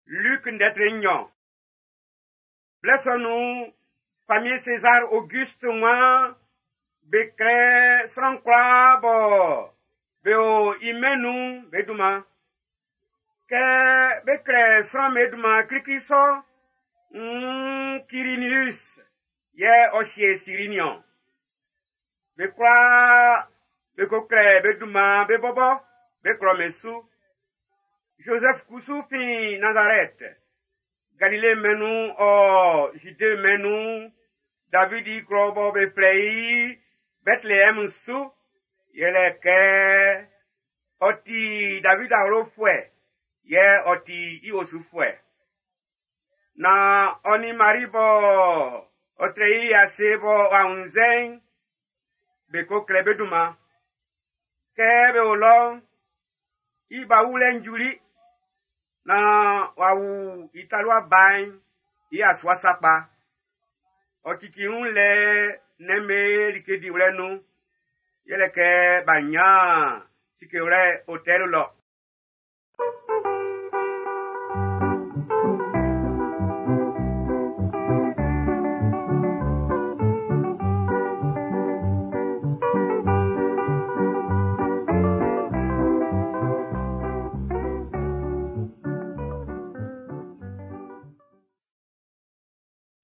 Luc ndɛtre nɲɔn. Blɛ sɔ nun'n, famiɛn César Auguste waan be klɛ sran kwlaa bɔ be o i mɛn nun'n be dunman. Kɛ be klɛ sran'm be dunman klikli sɔ'n, nn Quirinius yɛ ɔ sie Siri niɔn. Be kwlaa be ko klɛ be dunman be bɔbɔ be klɔ'm su. Joseph kusu fin Nazareth, Galile mɛn'n nun ɔ Jude mɛn'n nun, Davidi klɔ bɔ be flɛ i Bethléem su, yɛlɛ kɛ ɔ ti David awlofuɛ, yɛ ɔ ti i osufuɛ. Na ɔ nin Mari bɔ ɔ trɛ i ase bɔ w'a wunnzɛ'n, be ko klɛ be dunman. Kɛ be o lɔ'n, i ba wulɛ'n juli, na w'a wu i talua ba'n i yasua sakpa. Ɔ cici wun lɛ nnɛn'm be like diwlɛ nun, yɛlɛ kɛ b'a nyan sikewlɛ hôtel lɔ.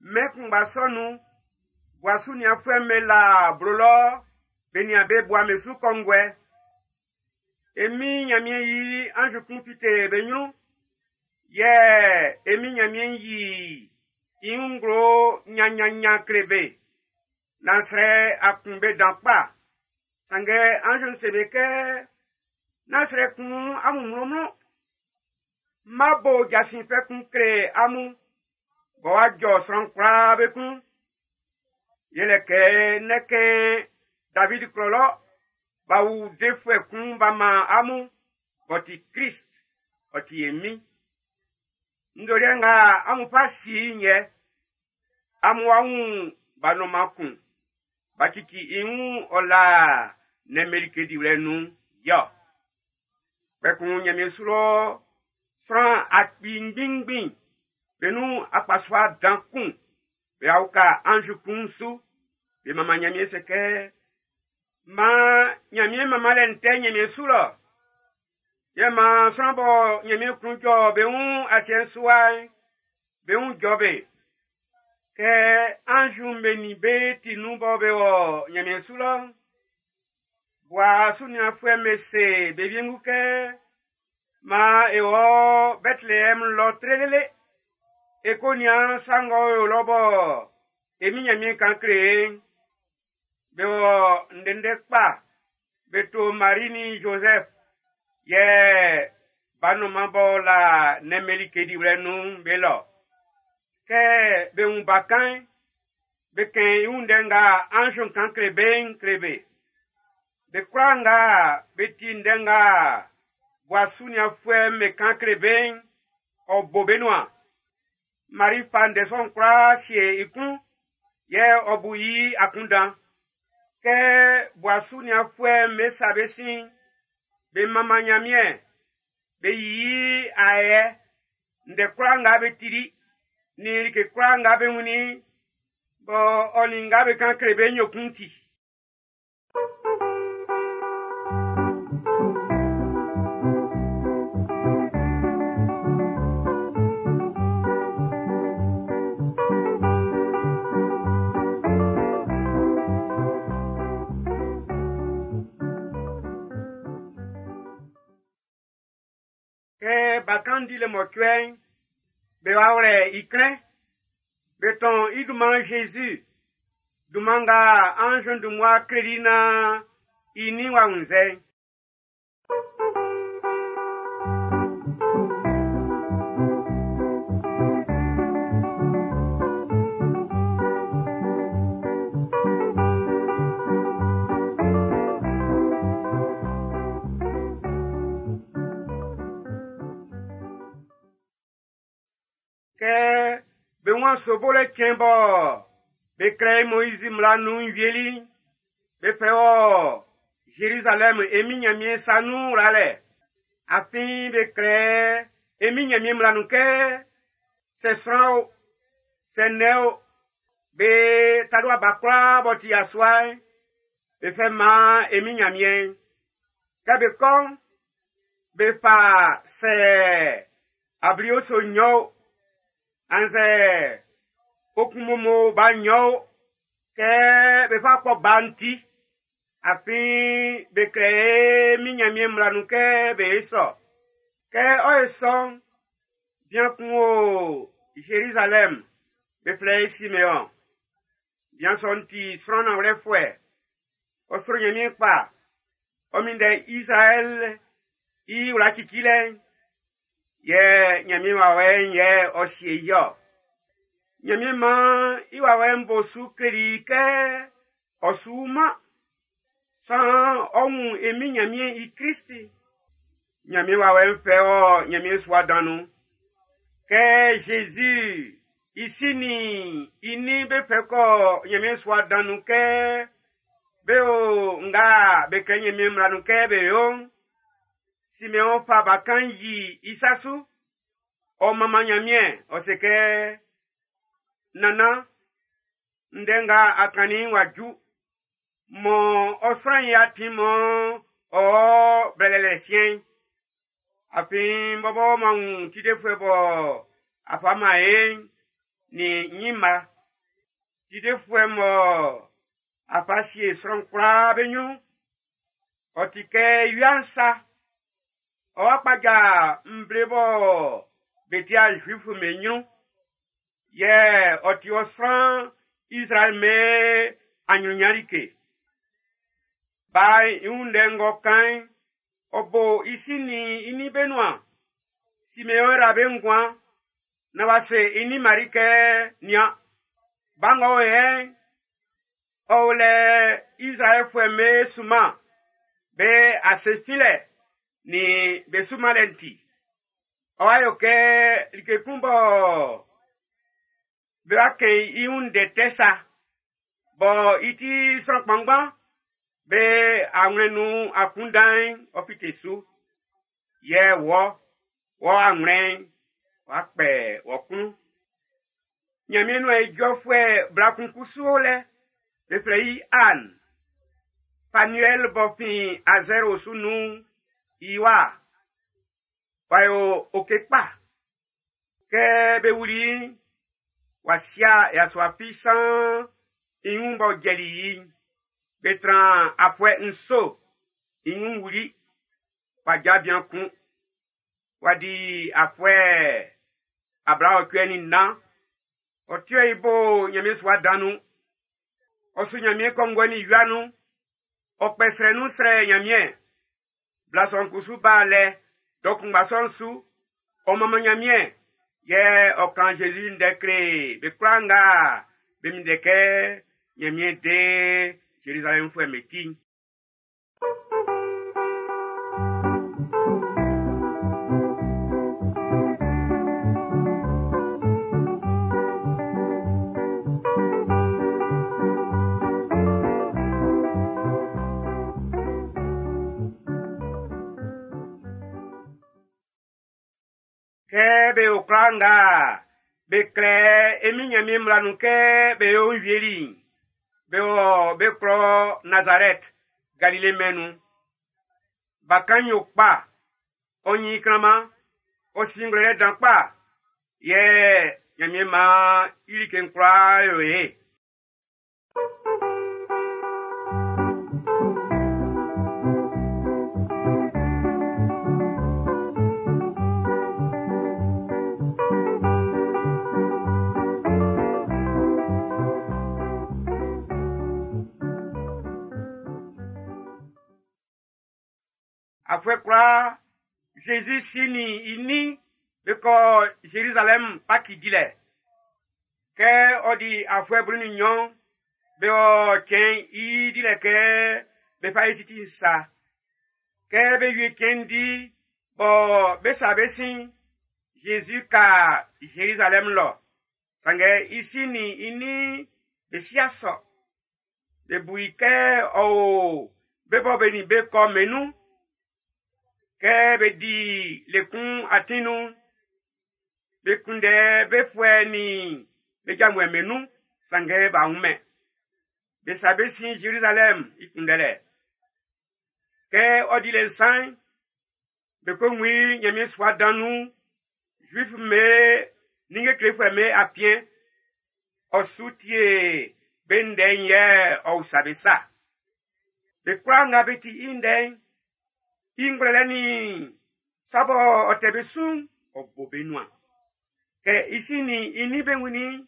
Mɛn kunngba sɔ nun'n, bua sunianfuɛ'm be la blo lɔ be nian be bua'm be su kɔnguɛ. E Min Nyanmiɛn yi anz kun fite be ɲrun, yɛ e Min Nyanmiɛn yi i wun nglo nyannyannyan kle be. Nan srɛ a kun be dan kpa. Sanngɛ anz'n se be kɛ, nán srɛ kun amun mlɔnmlɔn. M ma bo jasin fɛ kun kle amun, bɔ w'a jɔ sran kwlaa be klun. Yɛlɛ kɛ ndɛkɛn David klɔ lɔ, b'a wu defuɛ kun b'a man amun, b'ɔ ti Krist, ɔ ti e Min. Nzɔliɛ nga amun fa si i'n yɛ, amun wa wun ba nɔnman kun, b'a cici i wun ɔ la nnɛn'm be like diwlɛ nun yɔ. Kpɛkun Nyanmiɛn su lɔ sran akpi ngbinngbin be nun akpasua dan kun be uka anz kun su, be manman Nyanmiɛn se kɛ, maan Nyanmiɛn manmanlɛ'n tɛ Nyanmiɛn su lɔ. Yɛ maan sran bɔ Nyanmiɛn klun jɔ be wun asiɛ'n su wa'n, be wun jɔ be. Kɛ anz'm be nin be ti nun bɔ be wɔ Nyanmiɛn su lɔ'n, bua sunianfuɛ'm be se be wiengu kɛ, maan e wɔ Bethléem lɔ trelele, e ko nian sa ng'ɔ o lɔ bɔ e Min Nyanmiɛn kan kle e'n. Be wɔ ndɛndɛ kpa, be to Mari nin Joseph, yɛ ba nɔnman b'ɔ la nnɛn'm be like diwlɛ nun'n be lɔ. Kɛ be wun bakan'n, be kɛn i wun ndɛ nga anz'n kan kle be'n kle be. Be kwlaa nga be ti ndɛ nga bua sunianfuɛ'm be kan kle be'n, ɔ bo be nuan. Mari fa ndɛ sɔ'n kwlaa sie i klun, yɛ ɔ bu i akunndan. Kɛ bua sunianfuɛ'm be sa be sin, be manman Nyanmiɛn, be yi ayɛ, ndɛ kwlaa nga be tili, nin like kwlaa nga be wunnin, bɔ ɔ nin nga be kan kle be'n yokun ti. Kɛ bakan'n di le mɔcuɛ'n, be wa wlɛ i klɛn. Be tɔn i dunman Jésus, dunman nga anz'n dun mmua kleli naan i nin w'a wunnzɛ'n. Kɛ be wun sobolɛ cɛn bɔ be klɛ Moizi mmla nun'n wieli'n, be fɛ wɔ Jérusalem e Min Nyanmiɛn sa nun wlalɛ. Afin be klɛ E min Ɲanmiɛn mmla nun kɛ sɛ sran o, sɛ nnɛn o, be talua ba kwlaa b'ɔ ti yasua'n, be fɛ man e min Ɲanmiɛn'n. Kɛ be kɔ'n, be fa sɛ ablioso nnyɔn o, annzɛ okunmomo ba nnyɔn o, kɛ be fa kpɔ ba'n ti. Afin be klɛ e min Ɲanmiɛn mmla nun kɛ be yo sɔ. Kɛ ɔ ye sɔ'n, bian kun o Zerizalɛm, be flɛ i Simeɔn. Bian sɔ'n ti sran nanwlɛfuɛ. Ɔ sro Ɲanmiɛn kpa. Ɔ minndɛ Izraɛl i wla cicilɛ'n. Yɛ Ɲanmiɛn wawɛ'n yɛ ɔ sie i-ɔ. Ɲanmiɛn maan i wawɛ'n bo su kleli i kɛ ɔ su wuman. Saan ɔ wun e min Ɲanmiɛn i Klist. Ɲanmiɛn wawɛ'n fɛ ɔ Ɲanmiɛn sua dan nun. Kɛ Zezi i si nin i nin be fɛ kɔ Ɲanmiɛn sua dan nun kɛ be o nga be klɛ Ɲanmiɛn mmla nun kɛ be yo'n, Simeɔn fa bakan'n yi i sa su. Ɔ manman Ɲanmiɛn, ɔ se kɛ, Nannan, ndɛ nga a kannin'n w'a ju. Mɔ ɔ sran'n i atin mɔ ɔ blɛlɛlɛ siɛn'n. Afin n bɔbɔ m'an wun Tidefuɛ bɔ a fa man e'n nin ɲinma. Tidefuɛ mɔ a fa sie sran kwlaa be ɲrun'n, ɔ ti kɛ wia'n sa. Ɔ wa kpaja nvle bɔ be ti'a Zuifu'm be ɲrun. Yɛ ɔ ti ɔ sran Izraɛl be aɲrunɲan like. Ba'n i wun ndɛ ng'ɔ kan'n, ɔ bo i si nin i nin be nuan. Simeɔn yra be nguan, naan w'a se i nin Mari kɛ, nian, ba ng'ɔ o yɛ'n, ɔ o lɛ Izraɛlfuɛ'm be sunman be ase finlɛ nin be sunmanlɛ'n ti. Ɔ wa yo kɛ like kun bɔ be wa kɛn i wun ndɛ tɛ sa, bɔ i ti sran kpanngban be awlɛn nun akunndan'n ɔ fite su. Yɛ wɔ, wɔ awlɛn'n w'a kpɛ wɔ klun. Ɲanmiɛn nuan ijɔfuɛ bla kun kusu o lɛ, be flɛ i Anne. Fanuɛl b'ɔ fin Azɛr osu nun'n, i wa. W'a yo oke kpa. Kɛ be wuli i'n, w'a sia yasua fi saan i wun b'ɔ jɛli i'n. Be tran afuɛ nso, i wun wuli. W'a ja bian kun. W'a di afuɛ 84. Ɔ tuɛ i bo Ɲanmiɛn sua dan nun. Ɔ su Ɲanmiɛn kɔnguɛ nin wia nun. Ɔ kpɛ srɛ nun srɛ Ɲanmiɛn. Bla sɔ'n kusu ba lɛ dɔ kunngba sɔ'n su. Ɔ manman Ɲanmiɛn, yɛ ɔ kan Zezi ndɛ kle be kwlaa nga be minndɛ kɛ Ɲanmiɛn de Zerizalɛmfuɛ'm be ti'n. Kɛ be yo kwlaa nga be klɛ e min Ɲanmiɛn mmla nun kɛ be yo'n wieli'n, be wɔ be klɔ Nazarɛt, Galile mɛn'n nun. Bakan'n yo kpa, ɔ nyin klanman, ɔ si ngwlɛlɛ dan kpa, yɛ Ɲanmiɛn maan i like'n kwlaa yo ye. Afuɛ kwlaa, Zezi si nin i nin be kɔ Zerizalɛm Paki dilɛ. Kɛ ɔ di afuɛ 12, be wɔ cɛn'n i dilɛ kɛ be fa yi titi'n sa. Kɛ be wie cɛn'n di bɔ be sa be sin, Zezi ka Zerizalɛm lɔ. Sanngɛ i si nin i nin be si'a sɔ. Be bu i kɛ ɔ o be bɔ be nin be kɔ mɛn'n nun. Kɛ be di le kun atin nun'n, Be kunndɛ be fuɛ nin be janvuɛ'm be nun, sanngɛ b'a wunmɛn. Be sa be sin Zerizalɛm i kunndɛlɛ. Kɛ ɔ di le nsan'n, be ko wun i Ɲanmiɛn sua dan nun, Zuif'm be ninnge klefuɛ'm be afiɛn. Ɔ su tie be ndɛ'n yɛ ɔ usa be sa. Be kwlaa nga be ti i ndɛ'n, i ngwlɛlɛ nin sa bɔ ɔ tɛ be su'n, ɔ bo be nuan. Kɛ i si nin i nin be wunnin i'n,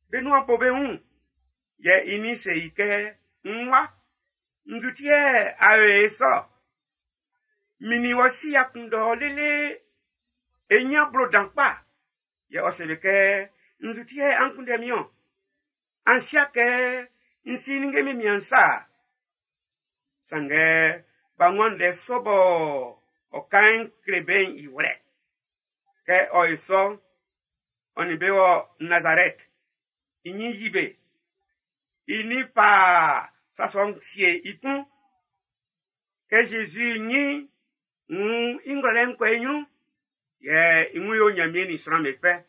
be nuan bo be wun. Yɛ i nin se i kɛ, n wa, nzu ti yɛ a yo e sɔ? Min nin wɔ si y'a kunndɛ ɔ lele e nyan blo dan kpa. Yɛ ɔ se be kɛ, nzu ti yɛ an kunndɛ min-ɔn? An si'a kɛ n si ninnge min mian sa. Sanngɛ b'a wun ndɛ sɔ bɔ ɔ kan kle be'n i wlɛ. Kɛ ɔ ye sɔ, ɔ nin be wɔ Nazarɛt. I nyin yi be. I nin fa sa sɔ'n sie i klun. Kɛ Zezi nyin wun i ngwlɛlɛ'n kɔ i ɲrun, yɛ i wun yo Ɲanmiɛn nin sran'm be fɛ.